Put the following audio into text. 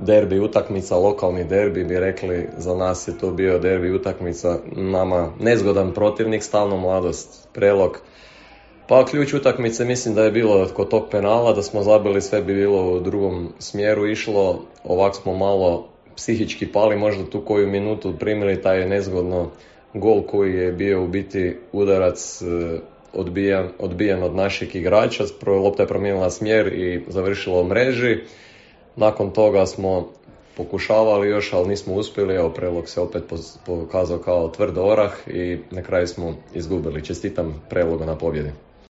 derbi utakmica, lokalni derbi bi rekli, za nas je to bio derbi utakmica, nama nezgodan protivnik, Stalno Mladost Prelog. Pa ključ utakmice mislim da je bilo kod tog penala, da smo zabili, sve bi bilo u drugom smjeru išlo, ovako smo malo psihički pali, možda tu koju minutu primili taj nezgodno gol koji je bio u biti udarac odbijen od našeg igrača, lopta je promijenila smjer i završila u mreži. Nakon toga smo pokušavali još, ali nismo uspjeli, evo Prelog se opet pokazao kao tvrd orah i na kraju smo izgubili. Čestitam Prelogu na pobjedi.